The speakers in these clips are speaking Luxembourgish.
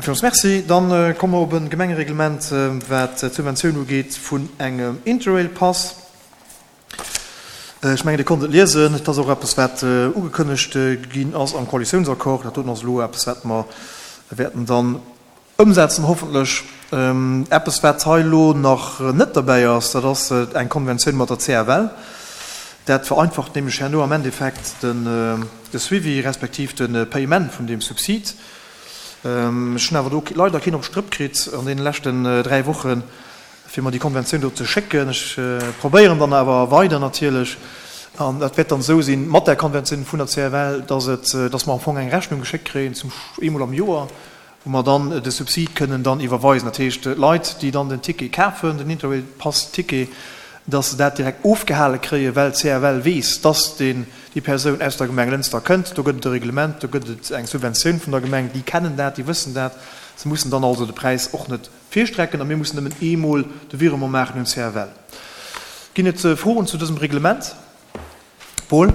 Villmools Merci. Dann komme mer op e Gemengereglement, wat d'Subventioun ugeet vun engem Interrail-Pass. Ech mengen, Dir konnt et liesen. Et ass och eppes, wat ugekënnegt ginn ass am Koalitiounsaccord. Dat doten ass elo eppes, wat mer wäerten dann ëmsetzen, hoffentlech. Eppes, wat hei elo nach net derbäi ass, dat ass eng Konventioun mat der CFL. Dat vereinfacht nämlech herno am Endeffekt de Suivi respektiv de Paiement vun deem Subsid. Ech hunn awer do leider keen op d'Strëpp kritt an deene leschten 3 Wochen, fir mer déi Konventioun do ze schécken. Ech probéieren dann awer weider natierlech, an dat wäert dann esou sinn mat där Konventioun vun der CFL, dass et, dass mer am Fong eng Rechnung geschéckt kréien zum eemol am Joer, wou mer dann de Subsid kënnen dann iwwerweisen. Dat heescht, d'Leit, déi dann den Ticket kafen, den Interrail-Pass-Ticket, dass se dat direkt ofgehale kréien, well d'CFL weess, dass deen, déi Persoun aus der Gemeng Lënster kënnt. Do gëtt et e Reglement, do gëtt et eng Subventioun vun der Gemeng. Déi kennen dat, déi wëssen dat. Se mussen dann also de Präis och net virstrecken a mir mussen nëmmen eemol de Virement maachen un d'CFL. Ginn et Froen zu dësem Reglement? Paul?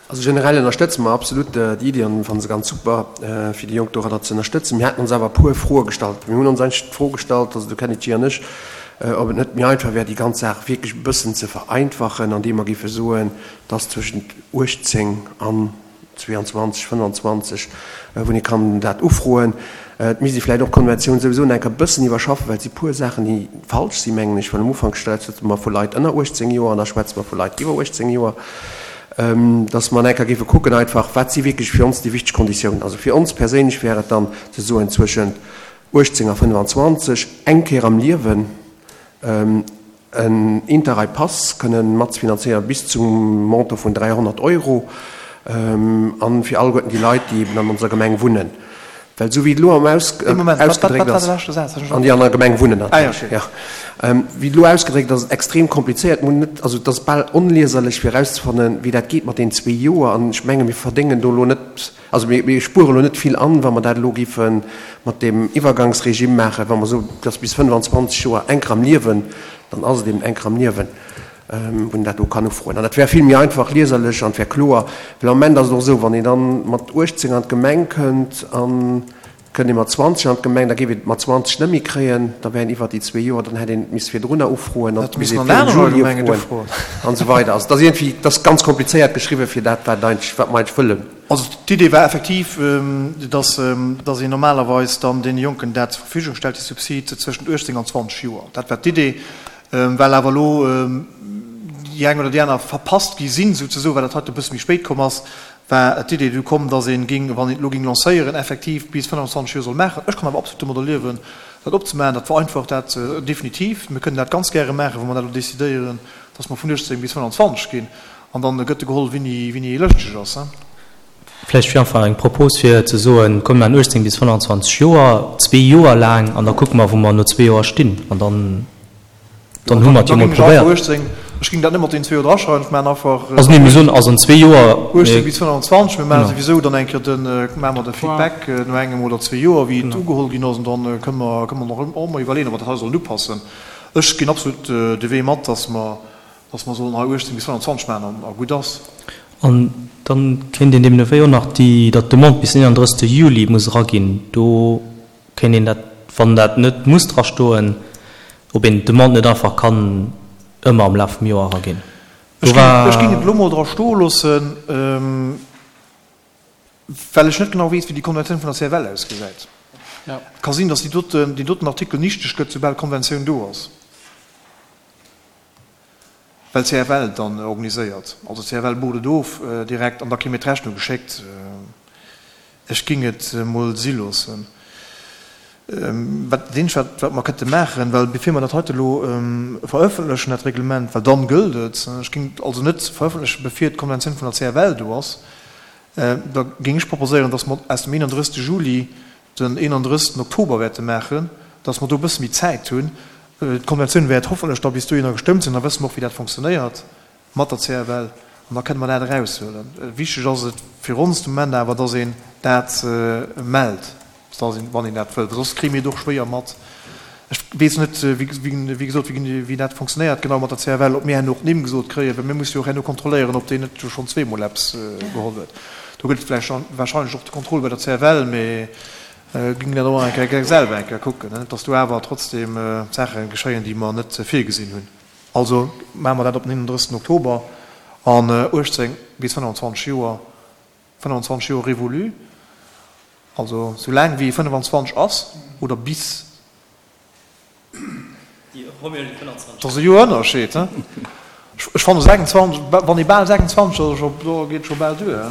Also generell ënnerstëtze mer absolut déi Iddi an fanne se ganz super, fir déi Jonk doranner ze ënnerstëtzen. Mir haten ons awer e puer Froe gestallt. Mir hunn ons eigentlech d'Fro gestallt, also de Kennedy an ech, ob et net méi einfach wär, déi ganz Saach wierklech e bëssen ze vereinfachen, andeem mer géife soen, dass zwëschent 18 an 22, 25, wou ee kann dat ufroen. Et misst ee vläicht och d'Konventioun souwisou nach eng Kéier e bëssen iwwerschaffen, well et si puer Saachen, déi falsch sinn, mengen ech, well am Ufank schwätze mer vu Leit ënner 18 Joer an da schwätze mer vu Leit iwwer 18 Joer, dass mer nach eng Kéier géife kucken einfach, wat si wierklech fir ons déi wichteg Konditiounen. Also fir ons perséinlech wär et dann ze soen, zwëschent 18 a 25, eng Kéier am Liewen, en Interrail-Pass kënnen matzefinanzéieren bis zum Montant vun 300 Euro an fir alleguerten déi Leit, déi eben an onser Gemeng wunnen. Well esou wéi et elo am ausgedréckt ass, an déi an der Gemeng wunnen natierlech, jo, wéi et elo ausgedréckt ass, ass et extrem komplizéiert, mir hunn net, also et ass bal onlieserlech fir erauszefannen, wéi dat geet mat deenen zwee Joer an ech menge mir verdéngen do elo net, Also mir spuere elo net vill an, wa mer dat elo géife mat deem Iwwergangsregime maachen. Wa mer soen, et ass bis 25 Joer eng Kéier am Liewen, dann ass et eben eng Kéier am Liewen, wou een dat do kann ufroen. An dat wär vill méi einfach lieserlech an et wär kloer. Well am Moment ass et och esou, wann een dann mat 18 an d'Gemeng kënnt an et kënnt ee mat 20 an d'Gemeng, da géif een et mat 20 net méi kréien, da wär een iwwert déi zwee Joer, dann hätt een et misse virdrunner ufroen, dann misst een virum Juli ufroen an esou weider. Also et ass iergendwéi, et ass ganz komplizéiert geschriwwen fir dat, wat eigentlech, wat mer eigentlech wëllen. Also d'Idee war effektiv, dass dass een normalerweis dann deene Jonken dat zur Verfügung stellt, déi Subsid zwëschent 18 an 20 Joer. Dat war d'Idee. Well awer elo déi eng oder déi aner verpasst gi sinn, souzesoen, well dat heite e bësse méi spéit komm ass, war d'Idee du komm, dass ee ging, wann een et elo ging lancéieren, effektiv bis 25 Joer soll maachen. Ech kann awer absolut domadder liewen, dat opzemaachen. Dat vereinfacht dat definitiv. Mir kënnen dat ganz gäre maachen, wa mer dat elo decidéieren, dass mer vun 18 bis 25 ginn. An dann gëtt geholl, wéini ee lëschteg ass. Vläicht fir einfach eng Propos fir ze soen, komm mir maachen 18 bis 25 Joer, zwee Joer laang, an da kucke mer, wou mer no zwee Joer stinn. An dann, dann hu mer et jo mol probéiert. Ech géing dat net mat deenen zwee Joer draschreiwen, ech maachen einfach. Also nee, mir soen also an zwee Joer. 18 bis 25, mir maache souwisou dann eng Kéier de, maache mer de Feedback no engem oder zwee Joer, wéi et ugeholl ginn ass, an dann kënne mer, kënne mer nach ëmmer iwwerleeën, ob mer dat hei sollen upassen. Ech ginn absolut de Wee mat, dass mer Dass mer sollen hei 18 bis 25 maachen an a gutt ass. An dann kéint een deemno wéi och nach déi, datt d'Demande bis den 31. Juli muss eraginn. Do kéint een dat, wann dat net muss drastoen, ob een d'Demande net einfach kann ëmmer am Laf vum Joer eraginn. Do war. Ech géing et elo mol dra stoe loossen, well ech net genau weess, wéi déi Konventioun vun der CFL ausgesäit. Et ka sinn, datt déi doten, deen doten Artikel nichteg gëtt, soubal d'Konventioun do ass. Well d'CFL dann organiséiert. Also d'CFL bucht et of direkt an da kréie mir d'Rechnung geschéckt. Ech géing et emol si loossen. Wat dat eenzegt, wat mer kënnte maachen, well bevir mer dat heite elo verëffentlechen, dat Reglement, well dann gëllt et, ech géing et also net verëffentlechen, bevir d'Konventioun vun der CFL do ass, da géing ech proposéieren, datt mer aus dem 31. Juli den 31. Oktober wäerte maachen, dass mer do e bësse méi Zäit hunn. D'Konventioun wäert hoffentlech da bis dohinner gestëmmt sinn, da wësse mer och, wéi dat fonctionnéiert mat der CFL an da kënne mer dat eraushuelen. Wichteg ass et fir ons de Moment awer, dass een dat mellt, dass een, wann een dat wëllt, well soss kréie mir et och schwéier mat. Ech weess net, wéi gesot, wéi dat fonctionnéiert genau mat der CFL, ob mir herno och d'Nimm gesot kréien, well mir musse jo och herno kontrolléieren, ob deen net schonn zweemol eppes geholl huet. Do gëtt et vläicht warscheinlech och de Contrôle bei der CFL, mee. Géing dat och eng Kéier selwer eng Kéier kucken, net dass do awer trotzdem Saache geschéien, déi mer net virgesinn hunn. Also maache mer dat op den 31. Oktober an 18 bis 25 Joer, 25 Joer révolu, also sou laang wéi ee 25 ass oder bis. Dat ass e Joer Ënnerscheed, he? Ech fanne 26, wann ee bal 26 ass, do geet et scho bal duer, he?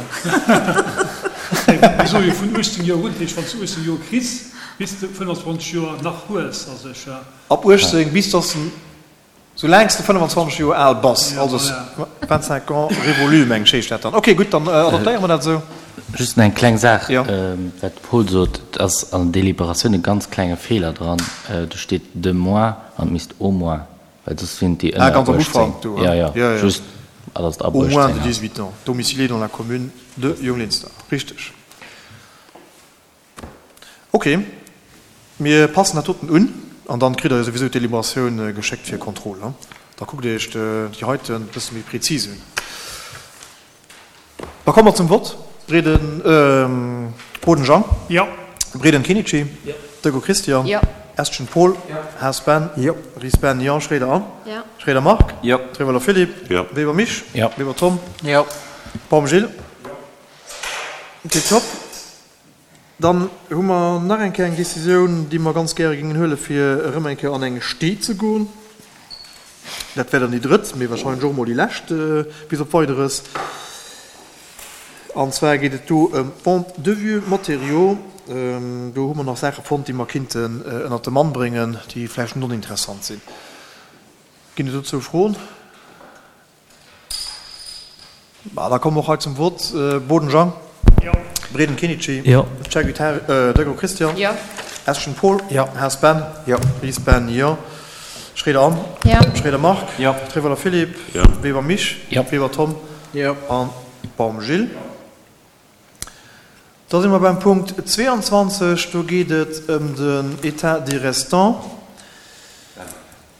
Mir soe jo vun 18 Joer un, dat heescht, wann s du 18 Joer kriss, bis de 25 Joer nach hues, a sech. Ab 18 bis dass de, soulaang s de 25 Joer al bass, also 25 ans révolu, meng ech heescht dat dann. Ok, gutt, dann adoptéiere mer dat esou. Just nach eng kleng Saach, wat de Paul sot, et ass an der Deliberatioun e ganz klenge Feeler dran, do steet de moins an et misst au moins, well soss sinn et déi ënner 18. Jo, jo, just datt et ab 18 ass. Au moins de 18 ans, domicilié dans la commune de Junglinster. Richteg. Ok, mir passen dat doten un an dann kritt der jo souwisou d'Deliberatioun geschéckt fir Contrôle. Da kuckt Dir Iech déi heiten e bësse méi prezis un. Da komme mer zum Vott. Breden, Boden Jean. Jo. Breden Kenichi. Jo. Deco Christian. Jo. Estgen Paul. Jo. Haas Ben. Jo. Ries Ben. Jo. Schroeder Anne. Jo. Schroeder Marc. Jo. Trewelder Philippe. Jo. Weber Misch. Jo. Weber Tom. Jo. Baum Gilles. Jo. Tiptop. Dann hu mer nach eng Kéier eng Décisioun, déi mer ganz gäre géingen huelen, fir erëm eng Kéier an eng Stee ze goen. Dat wär dann déi drëtt, mee wahrscheinlech och emol déi lescht bis op Weideres. An zwar geet et do ëm d'Vente de vieux matériaux. Do hu mer nach Saache fonnt, déi mer kinnten ënnert de Mann bréngen, déi vläicht net oninteressant sinn. Ginn et dozou Froen? Bah, da komme mer och hei zum Vott. Boden Jean. Jo. Breden Kenichi. Jo. Cerguitar, Deco Christian. Jo. Eschen Paul. Jo. Haas Ben. Jo. Ries Ben, jo. Schroeder Anne. Jo. Schroeder Marc. Jo. Trevoller Philippe. Jo. Weber Misch. Jo. Weber Tom. Jo. An Baum Gilles. Da si mer beim Punkt 22. Do geet et ëm den État des restants.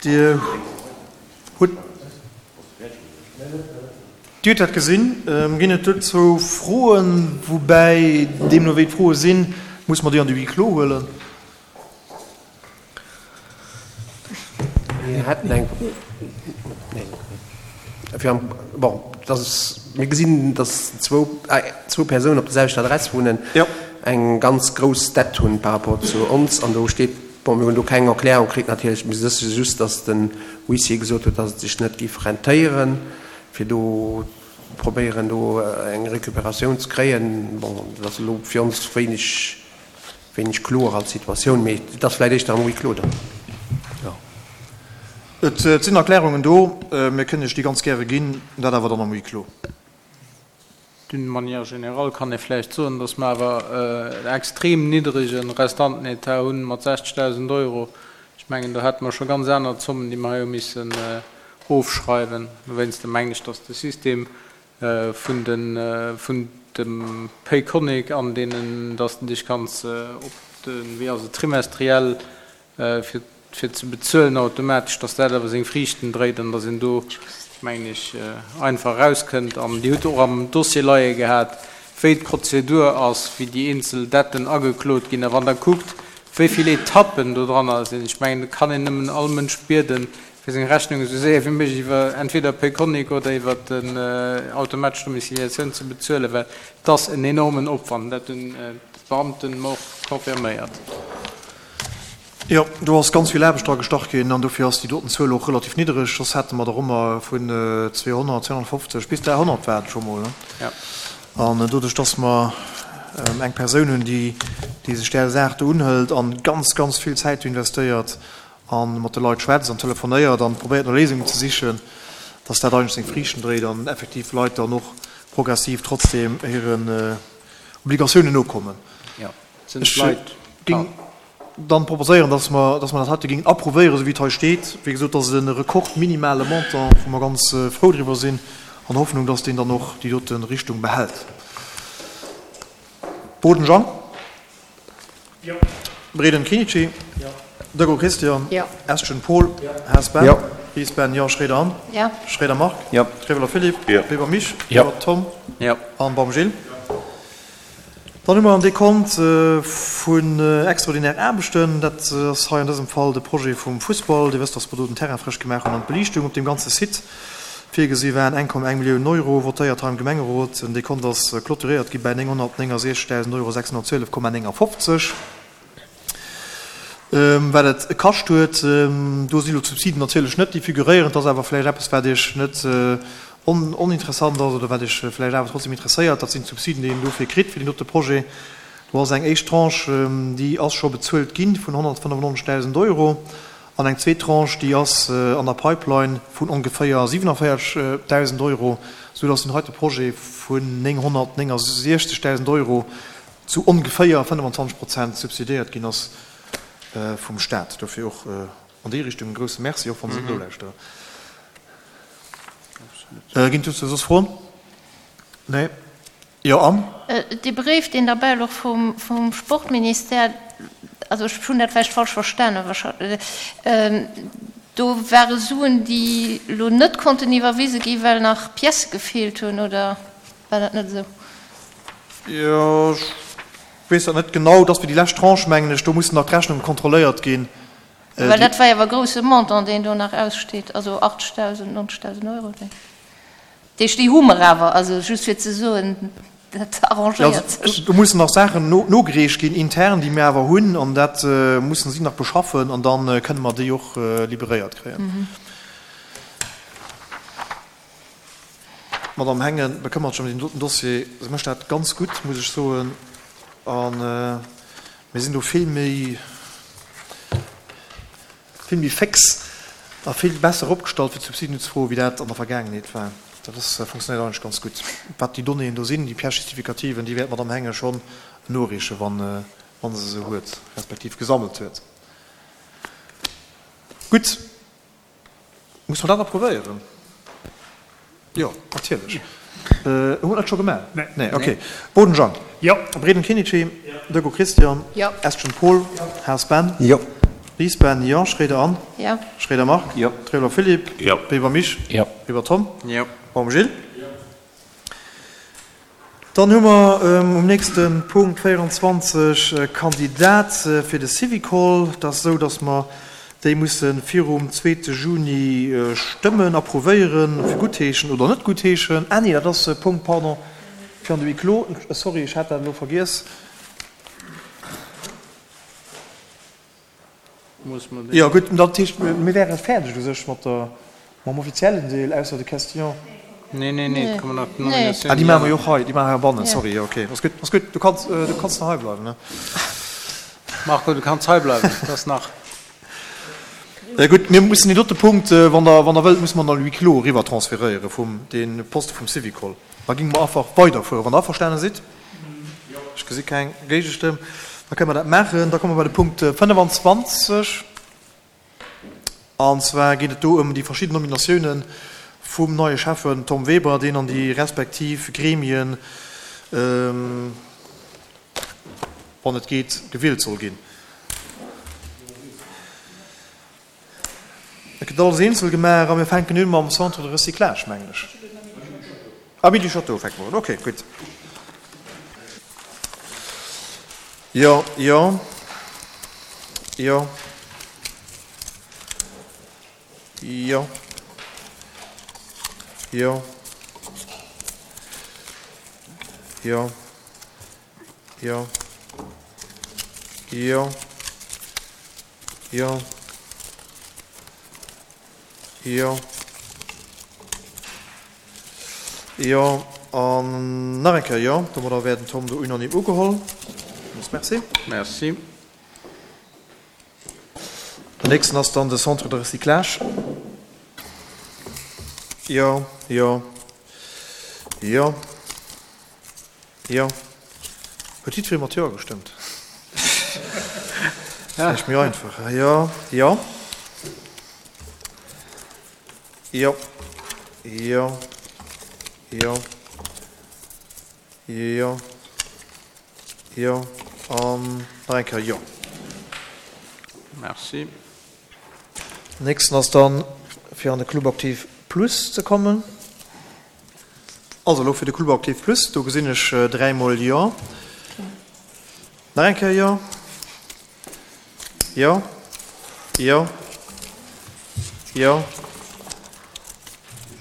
Dir hutt Dir hutt dat gesinn. Ginn et dozou Froen? Woubäi, deemno wéi d'Froe sinn, muss mer déi an de Huis clos huelen. Mir hätten eng, fir am, bon, dass mir gesinn, dass zwou, zwou Persounen op der selwechter Adress wunnen, eng ganz grouss Dett hunn par rapport zu ons an do steet, bon, mir hunn do keng Erklärung kritt natierlech, mir wësse just, dass den Huissier gesot huet, dass et sech net géif rentéieren, fir do probéieren do eng Récupératioun ze kréien. Bon, dat ass elo fir ons wéineg. Wéineg kloer als Situatioun, mee et ass vläit éischter am Huis clos dann. Jo. Et sinn Erklärungen do, mir kënnen Iech déi ganz gäre ginn, dat awer dann am Huis clos. D'une manière générale kann ee vläicht soen, dass mer awer en extrem niddrege Restantenetat hunn mat 60.000 Euro. Ech mengen, do hätte mer scho ganz aner Zommen, déi mer hei hu missen ofschreiwen. Dowéinster mengen ech, dass de System vun de vun dem Payconiq an deenen, dass de dech kanns op de, wéi ass et, trimestriell fir fir ze bezuelen automatesch, dass dat awer seng Friichten dréit an dass een do, mengen ech, einfach erauskënnt. An Dir hutt och am Dossier leie gehat, wéi d'Prozedur ass, wéi déi eenzel Detten ageklot ginn. A wann Der kuckt, wéi vill Etappen do dranner sinn, ech mengen, do kann een nëmmen all Mënsch bieden, fir seng Rechnung esou séier wéi méiglech iwwer entweder Payconiq oder iwwer den automatesch Domiciliatioun ze bezuelen, well et ass en enormen Opwand. Dat hunn d'Beamten mer och confirméiert. Jo, do ass ganz vill Aarbecht dra gestach ginn an dofir ass déi doten Zuel och relativ niddereg. Soss hätte mer der ëmmer vun 200, 250 bis 300 war et scho mol. An doduerch, dass mer eng Persoun hunn, déi sech där Saach do unhëlt an ganz, ganz vill Zäit do investéiert, a mat de Leit schwätzt an telefonéiert an probéiert no Léisungen ze sichen, dass dat eigentlech seng Friichten dréit an effektiv Leit dann och progressiv trotzdem hiren Obligatiounen nokommen. Ech géing dann proposéieren, dass mer, dass mer dat heite géingen approuvéieren, esou wéi et hei steet. Wéi gesot, dat ass e rekordminimale Montant, wou mer ganz frou driwwer sinn, an der Hoffnung, dass deen dann och déi dote Richtung behält. Boden Jean. Jo. Breden Kenichi. Jo. Deco Christian. Jo. Estgen Paul. Jo. Haas Ben. Jo. Ries Ben, jo. Schroeder Anne. Jo. Schroeder Marc. Jo. Treveler Philippe. Jo. Weber Misch. Jo. Weber Tom. Jo. An Baum Gilles. Jo. Dann hu mer en Dekont vun extraordinaire Aarbechten. Dat ass hei an dësem Fall de Projet vum Fussball. Dir wësst, dass mer do den Terrain frësch gemaach hunn an d'Beliichtung op deem ganze Site virgesi waren. 1,1 Millioun Euro votéiert hei am Gemengerot. Den Dekont ass clôturéiert gi bäi 969.000 Euro 612,59. Wat et kascht huet, do sinn elo d'Subsiden natierlech net déi figuréieren. Et ass awer vläicht eppes, wat Iech net oninteressant ass oder wat Iech vläicht awer trotzdem interesséiert. Dat sinn d'Subsiden, déi een dofir kritt, fir deen dote Projet. Do ass eng éischt Tranche, déi ass scho bezuelt gi vun 195.000 Euro an eng zweet Tranche, déi ass an der Pipeline vun ongeféier 47.000 Euro, soudass deen heite Projet vun 969.000 Euro zu ongeféier 25 Prozent subsidiéiert ginn ass vum Staat. Dofir och an déi Richtung e grouse Merci, och wann se net nolauschteren. Ginn dozou soss Froen? Nee? Jo, Anne? Dee Bréif, deen derbäi louch vum Sportministère, also ech hunn dat vläicht falsch verstanen, do ware Suen, déi elo net konnten iwwerwise ginn, well nach Piècë gefeelt hunn, oder war dat net esou? Jo, ech weess dat net genau. Et ass fir déi lescht Tranche, mengen ech. Do mussen nach d'Rechnunge kontrolléiert ginn. Well dat war jo awer e grousse Montant, deen do nach aussteet, also 80.000, 90.000 Euro. Dat heescht, déi hu mer awer. Also just fir ze soen, dat arrangéiert sech. Do mussen nach Saachen nogereecht ginn intern, déi mir awer hunn, an dat mussen si nach beschaffen an da kënne mer déi och liberéiert kréien. D'Madame Hengen bekëmmert sech ëm deen doten Dossier. Se mécht dat ganz gutt, muss ech soen. A mir sinn do vill méi, vill méi féx a vill besser opgestallt, fir d'Subsiden unzefroen, wéi dat an der Vergaangenheet war. Dat ass, funktionéiert eigentlech ganz gutt. Wat déi Donnéeën do sinn, déi Pièces justificatives, déi wäert d'Madame Hengen schonn noreechen, wann se se huet, respektiv gesammelt huet. Gutt. Muss mer dat approuvéieren? Jo, natierlech. Hu mer dat scho gemaach? Nee. Okay. Boden Jean. Jo. Breden Kinichi. Jo. Deco Christian. Jo. Estgen Paul. Jo. Haas Ben. Jo. Ries Ben. Jo. Schroeder Anne. Jo. Schroeder Marc. Jo. Trevler Philippe. Jo. Weber Mich. Jo. Weber Tom. Jo. Baum Gilles. Jo. Dann hu mer um nächste Punkt 24 e Kandidat fir de Syvicol. Et ass esou, datt mer déi musse virum zweete Juni stëmmen, approuvéieren, fir guttheeschen oder net guttheeschen. Ah nee, dat ass e Punkt, pardon, fir an de Huis clos. Sorry, ech hat dat elo vergiess. Jo, gutt, dat heescht, mir wäre fäerdeg u sech mat der, mam offiziellen Deel, ausser de Question. Nee, nee, nee, et kommen nach d'Nominatiounen. Ah, déi maache mer jo och hei, déi maache mer heibannen, sorry, jo, okay, ass gutt, ass gutt, du kanns, du kanns nach hei bleiwen, ne? Marco, du kanns hei bleiwen, et ass nach. Gutt, mir mussen deen dote Punkt, wann Der, wann Der wëllt, musse mer an huis clos eriwwer transferéiere vum, dee Poste vum Syvicol. Da géinge mer einfach weiderfueren, wann Der averstane sidd. Ech gesi keng Géigestëmm. Da kënne mer dat maachen. Da komme mer bei de Punkt 25. An zwar geet et do ëm déi verschidden Nominatiounen vum neie Schäffen Tom Weber, deen an déi respektiv Gremien, wann et geet, gewielt soll ginn. Et gëtt alles eenzel gemaach a mir fänken un mam Centre de recyclage, mengen ech. Ah, Midi Château fänke mer un. Okay, gutt. Jo, jo, jo, jo, jo, jo, jo, jo. Jo. Jo. Jo. An nach eng Kéier jo. Domadder wär den Tom do unanime ugeholl. Villmools Merci. Merci. Den nächsten ass dann de Centre de recyclage. Jo, jo, jo. Jo. Huet jiddweree mat Jo gestëmmt? Vläicht méi einfach. Jo, jo. Jo. Jo. Jo. Jo. Jo. An nach eng Kéier Jo. Merci. Nächsten ass dann, fir an de Club Aktiv Plus ze kommen. Also elo fir de Club Aktiv Plus, do gesinn ech dräimol Jo. Nach eng Kéier Jo. Jo. Jo. Jo.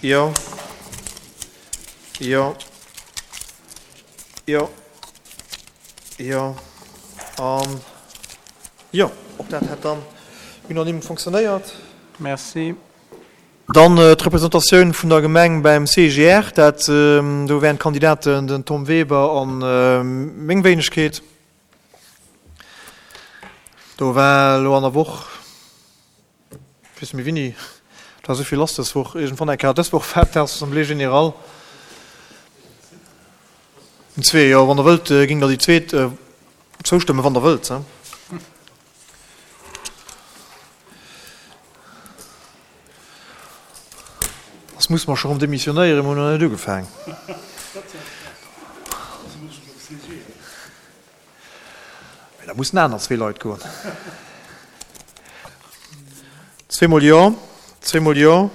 Jo. Jo. Jo. Jo. An jo, och dat hätt dann unanime funktionéiert. Merci. Dann d'Representatioun vun der Gemeng beim CGR, dat do wären d'Kandidaten den Tom Weber a meng Wéinegkeet. Do war elo an der Woch, ech weess net méi wéini, et war esou vill lass dës Woch, iergendwann eng Kéier dës Woch war d'Assemblée générale. Zwee, jo, wann Der wëllt, géing Der déi zweet zoustëmmen, wann Der wëllt. Soss musse mer scho rëm demissionéieren, mer hunn nach net ugefaang. Mee da mussen aner zwee Leit goen. Zweemol jo, zweemol jo,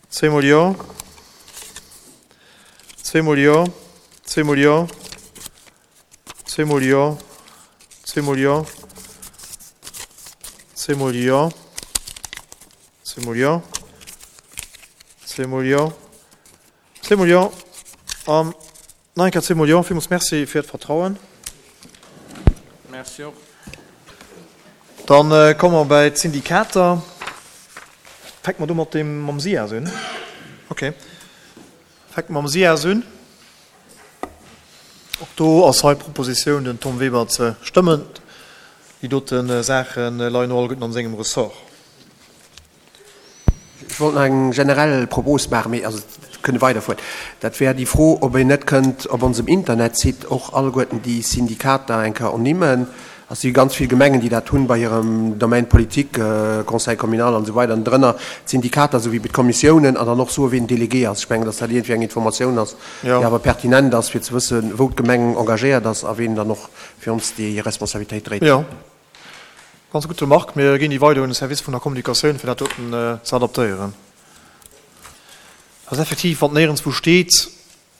zweemol jo, zweemol jo, zweemol jo. Zweemol jo, zweemol jo, zweemol jo, zweemol jo, zweemol jo, zweemol jo an nach eng Kéier zweemol jo. Villmools Merci fir d'Vertrauen. Merci och. Dann komme mer bäi d'Syndikater. Fänke mer do mat deem mam SIAS un? Okay. Fänke mer mam SIAS un. Och do ass hei d'Propositioun, den Tom Weber ze stëmmen. Déi dote Saache leien och alleguerten an sengem Ressort. Ech wollt nach eng generell Propos maachen, mee also kënne weiderfueren. Dat wär déi Fro, ob een net kënnt op onsem Internetsite och alleguerten déi Syndikater eng Kéier ernimmen. Et si ganz vill Gemengen, déi dat hunn bei hirem Domaine politique, Conseil communal an esou weider, an drënner d'Syndikater esou wéi bei d'Kommissiounen, an dann och soen, wien Délégué ass. Ech mengen, datt dat iergendwéi eng Informatioun ass, déi awer pertinent ass, fir ze wëssen, wou d'Gemeng engagéiert ass a wien dann och fir ons déi Responsabilitéit dréit. Jo, ganz gutt Remarque. Mir ginn déi weider un de Service vun der Kommunikatioun, fir dat doten ze adaptéieren. Ass effektiv, wann et néierenswou steet,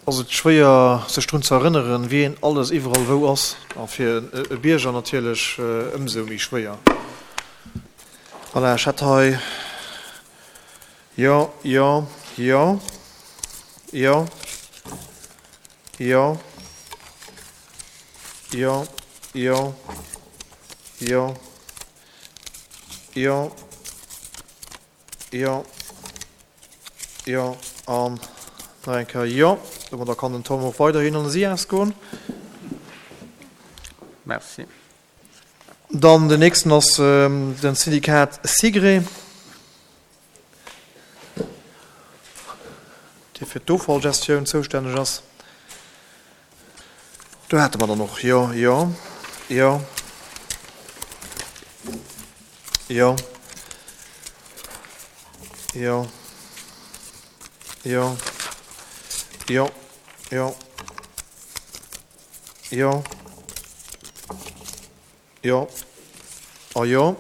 ass et schwéier sech drun ze erënneren, wien alles iwwerall wou ass, a fir e Bierger natierlech ëmsou méi schwéier. Voilà, ech hätt hei, jo, jo, jo, jo, jo, jo, jo, jo, jo, Jo, jo an nach eng Kéier jo. Domadder kann den Tom och weiderhin an de SIAS goen. Merci. Dann den nächsten ass den Syndikat SIGRE, dee fir d'Offallgestioun zoustänneg ass. Do hate mer dann och, jo, jo, jo, jo, jo, jo, jo, jo, jo, Jo a jo,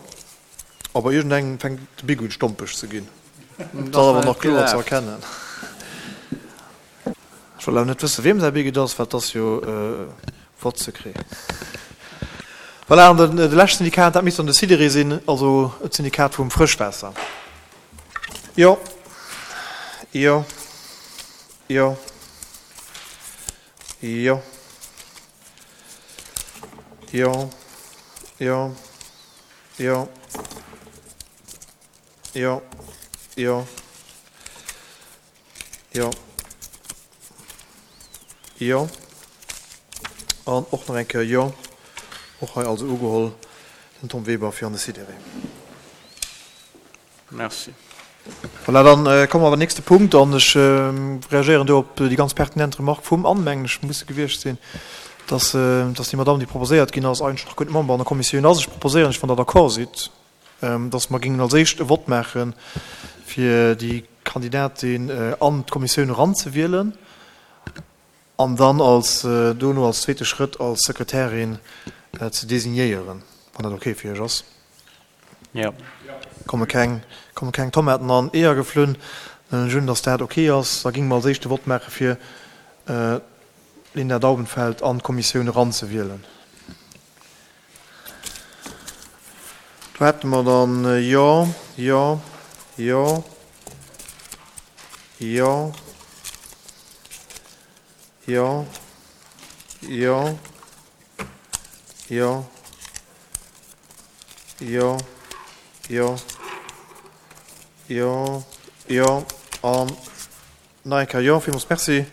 a bei iergendengem fänkt de Big un stompeg ze ginn. Dat ass awer nach kloer ze erkennen. Ech wëll awer net wësse wiem säi Big et ass, well et ass jo votre secret. Voilà, an de leschte Syndikat, dat misst dann de Sidéré sinn, also d'Syndikat vum Frëschwaasser. Jo, jo, jo, jo. Jo, jo, jo, jo, jo, jo, jo an och nach eng Kéier jo. Och hei also ugeholl den Tom Weber fir an de Sidéré. Merci. Voilà, dann komme mer beim nächste Punkt an ech reagéieren do op déi ganz pertinent Remarque vum Anne, mengen ech, muss se gewiescht sinn, dass, dass déi Madame, déi proposéiert ginn ass, eigentlech nach guer net Member an der Kommissioun ass. Ech proposéieren lech, wann Der d'accord sidd, dass mer géingen als éischt e Vott maachen, fir déi Kandidatin an d'Kommissioun eranzewielen an dann als, dono als zweete Schrëtt als Sekretärin ze designéieren, wann dat okay fir Iech ass. Jo. Komme keng, komme keng Tomaten an Eeër geflunn. Dann huelen ech un, dass dat ok ass. Da géinge mer als éischt de Vott maache fir d'Linda Daubenfeld an d'Kommissioun eranzewielen. Do hätte mer dann Jo, Jo, Jo, Jo, Jo, Jo, Jo, Jo, Jo, Jo, Jo an nach eng Kéier Jo. Villmools Merci.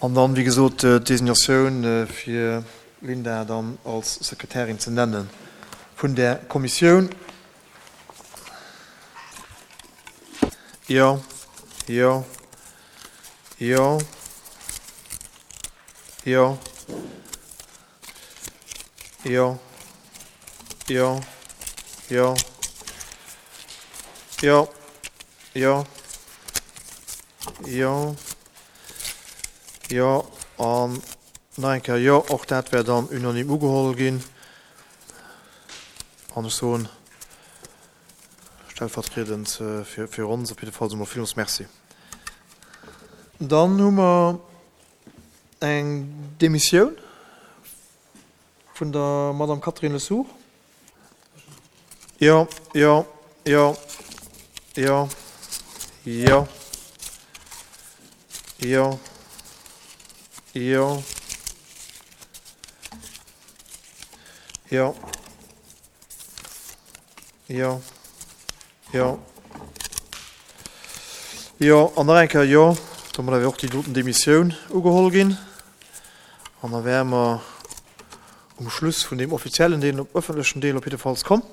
An dann, wéi gesot, d'Designatioun fir d'Linda dann als Sekretärin ze nenne vun där Kommissioun. Jo, jo, jo, jo, jo, jo, jo, jo, jo, jo, jo an nach eng Kéier jo. Och dat wär dann unanime ugeholl ginn. An ech soen stellvertriedend fir ons op jidde Fall emol villmools Merci. Dann hu mer eng Demissioun vun der Madame Catherine Lesourd. Jo, jo, jo, jo, jo, jo, jo, jo, jo, jo, jo an nach eng Kéier jo. Domadder wär och déi doten Demissioun ugeholl ginn. An da wäre mer um Schluss vun deem offiziellen Deel, um ëffentlechen Deel op jiddefalls komm.